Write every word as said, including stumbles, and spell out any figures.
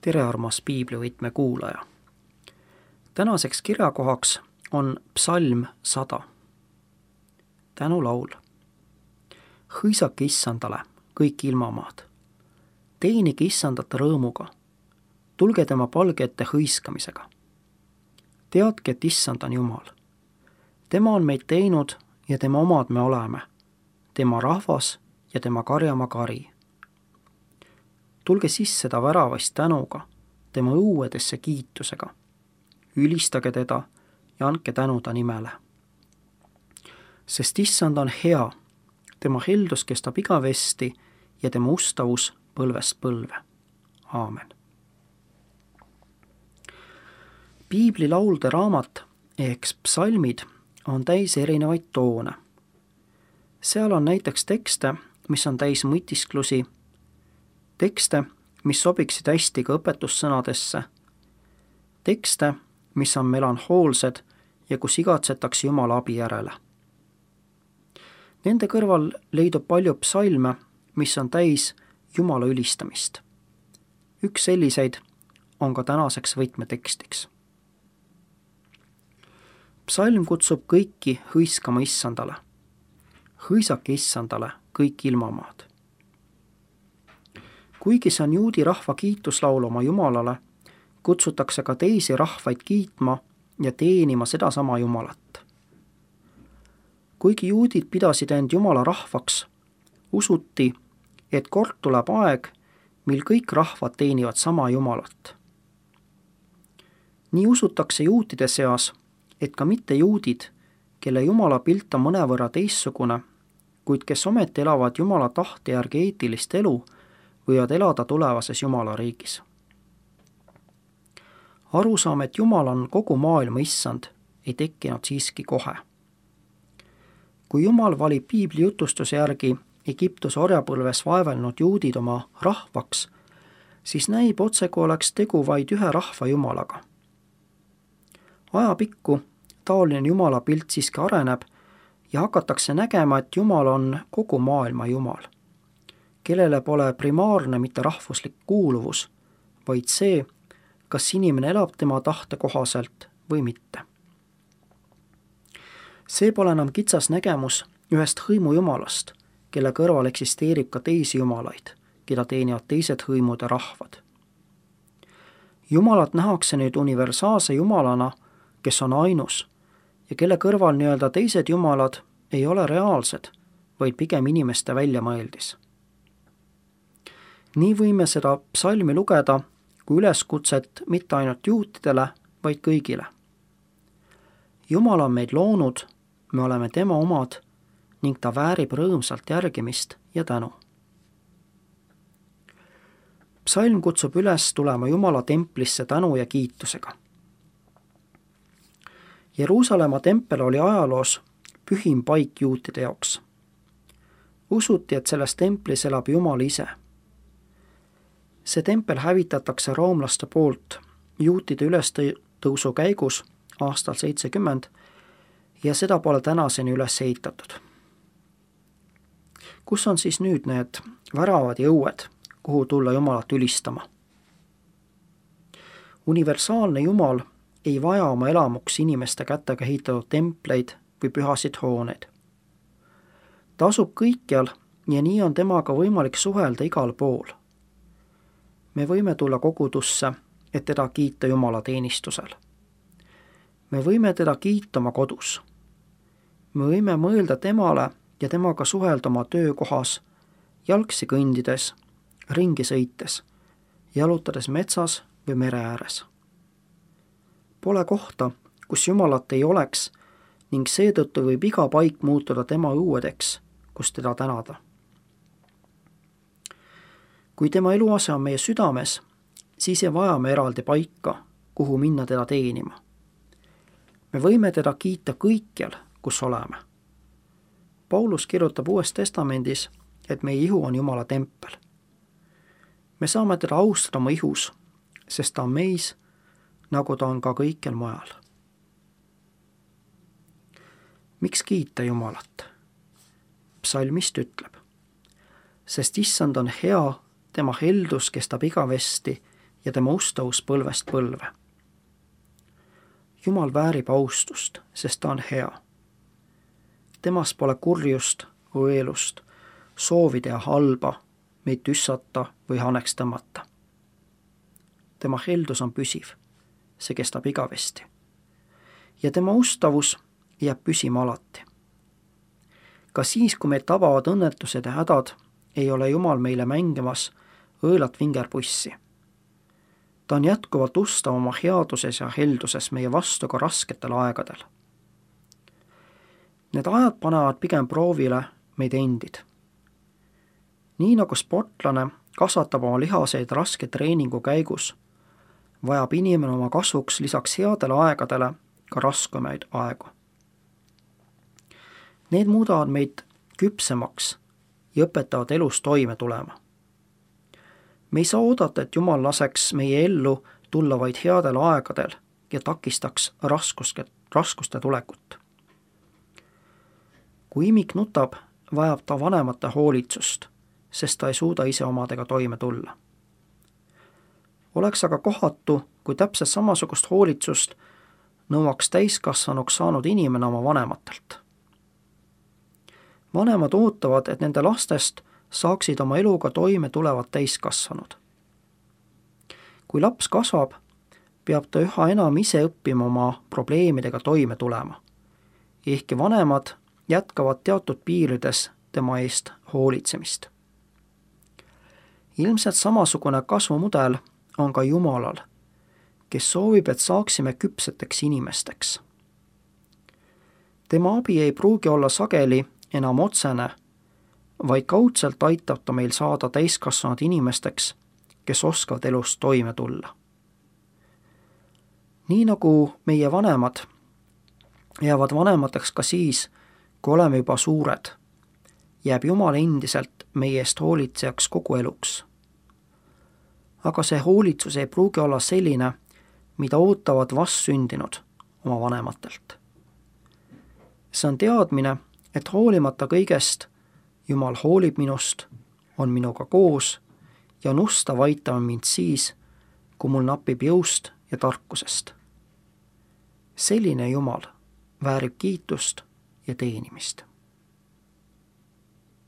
tere, armas piiblivõtme kuulaja! Tänaseks kirjakohaks on psalm sada. Tänulaul. Hõisake issandale, kõik ilmamaad. Teenige issandat rõõmuga. Tulge tema palge ette hõiskamisega. Teadke, et issand on Jumal. Tema on meid teinud ja tema omad me oleme. Tema rahvas ja tema karjamaa kari. Tulge sisse ta väravast tänuga, tema õuedesse kiitusega. Ülistage teda ja andke tänu ta nimele. Sest issand on hea, tema heldus kestab igavesti ja tema ustavus põlvest põlve. Aamen. Piibli laulde raamat ehk psalmid on täis erinevaid toone. Seal on näiteks tekste, mis on täis mõtisklusi, tekste, mis sobiksid hästi ka õpetussõnadesse, tekste, mis on melanhoolsed ja kus igatsetakse Jumala abi järele. Nende kõrval leidub palju psalme, mis on täis Jumala ülistamist. Üks selliseid on ka tänaseks võtmetekstiks. Psalm kutsub kõiki hõiskama issandale. Hõisake issandale kõik ilmamaad. Kuigi see on juudi rahva kiituslaul oma Jumalale, kutsutakse ka teisi rahvaid kiitma ja teenima sedasama Jumalat. Kuigi juudid pidasid end Jumala rahvaks, usuti, et kord tuleb aeg, mil kõik rahvad teenivad sama Jumalat. Nii usutakse juutide seas, et ka mitte juudid, kelle Jumala pilt on mõnevõrra teissugune, kuid kes ometi elavad Jumala tahte järgi eetilist elu, võivad elada tulevases Jumala riigis. Arusaam, et Jumal on kogu maailma issand, ei tekkinud siiski kohe. Kui Jumal valib piibli jutustuse järgi Egiptuse orjapõlves vaevelnud juudid oma rahvaks, siis näib otse, kui oleks tegu vaid ühe rahva Jumalaga. Ajapikku taoline Jumala pilt siiski areneb ja hakatakse nägema, et Jumal on kogu maailma Jumal, kellele pole primaarne mitte rahvuslik kuuluvus, vaid see, kas inimene elab tema tahte kohaselt või mitte. See pole enam kitsas nägemus ühest hõimu Jumalast, kelle kõrval eksisteerib ka teisi Jumalaid, keda teenivad teised hõimud ja rahvad. Jumalat nähakse nüüd universaalse Jumalana, kes on ainus ja kelle kõrval nii-öelda teised Jumalad ei ole reaalsed, vaid pigem inimeste väljamõeldis. Nii võime seda psalmi lugeda kui üleskutset mitte ainult juutidele, vaid kõigile. Jumal on meid loonud, me oleme tema omad ning ta väärib rõõmsalt järgimist ja tänu. Psalm kutsub üles tulema Jumala templisse tänu ja kiitusega. Jeruusalemma tempel oli ajaloos pühim paik juutide jaoks. Usuti, et selles templis elab Jumal ise. See tempel hävitatakse roomlaste poolt juutide ülestõusu käigus aastal seitsekümmend ja seda pole tänaseni üles ehitatud. Kus on siis nüüd need väravad ja õued, kuhu tulla Jumalat ülistama? Universaalne Jumal ei vaja oma elamuks inimeste kätega ehitatud templeid või pühasid hooneid. Ta asub kõikjal ja nii on temaga võimalik suhelda igal pool. Me võime tulla kogudusse, et teda kiita Jumala teenistusel. Me võime teda kiita oma kodus. Me võime mõelda temale ja temaga suhelda oma töökohas, jalgsi kõndides, ringi sõites, jalutades metsas või mere ääres. Pole kohta, kus Jumalat ei oleks ning seetõttu võib iga paik muutuda tema õuedeks, kus teda tänada. Kui tema eluase on meie südames, siis ei vaja me eraldi paika, kuhu minna teda teenima. Me võime teda kiita kõikjal, kus oleme. Paulus kirjutab Uues Testamendis, et meie ihu on Jumala tempel. Me saame teda austada oma ihus, sest ta on meis, nagu ta on ka kõikjal mujal. Miks kiita Jumalat? Psalmist ütleb, sest issand on hea, tema heldus kestab igavesti ja tema ustavus põlvest põlve. Jumal väärib austust, sest ta on hea. Temas pole kurjust, õelust, soovi teha halba, meid tüssata või haneks tõmmata. Tema heldus on püsiv, see kestab igavesti. Ja tema ustavus jääb püsima alati. Ka siis, kui meid tabavad õnnetused ja hädad, ei ole Jumal meile mängimas õelat vingerpussi. Ta on jätkuvalt ustav oma headuses ja helduses meie vastu ka rasketel aegadel. Need ajad panevad pigem proovile meid endid. Nii nagu sportlane kasvatab oma lihaseid raske treeningu käigus, vajab inimene oma kasvuks lisaks headele aegadele ka raskemaid aegu. Need muudavad meid küpsemaks ja õpetavad elus toime tulema. Me ei saa oodata, et Jumal laseks meie ellu tulla vaid headel aegadel ja takistaks raskuste, raskuste tulekut. Kui imik nutab, vajab ta vanemate hoolitsust, sest ta ei suuda ise omadega toime tulla. Oleks aga kohatu, kui täpselt samasugust hoolitsust nõuaks täiskasvanuks saanud inimene oma vanematelt. Vanemad ootavad, et nende lastest saaksid oma eluga toime tulevad täiskasvanud. Kui laps kasvab, peab ta üha enam ise õppima oma probleemidega toime tulema. Ehkki vanemad jätkavad teatud piirides tema eest hoolitsemist. Ilmselt samasugune kasvumudel on ka Jumalal, kes soovib, et saaksime küpseteks inimesteks. Tema abi ei pruugi olla sageli enam otsene, vaid kaudselt aitab ta meil saada täiskasvanud inimesteks, kes oskavad elus toime tulla. Nii nagu meie vanemad jäävad vanemateks ka siis, kui oleme juba suured, jääb Jumal endiselt meie eest hoolitsejaks kogu eluks. Aga see hoolitsus ei pruugi olla selline, mida ootavad vastsündinud oma vanematelt. See on teadmine, et hoolimata kõigest Jumal hoolib minust, on minuga koos ja on ustav aitama mind siis, kui mul napib jõust ja tarkusest. Selline Jumal väärib kiitust ja teenimist.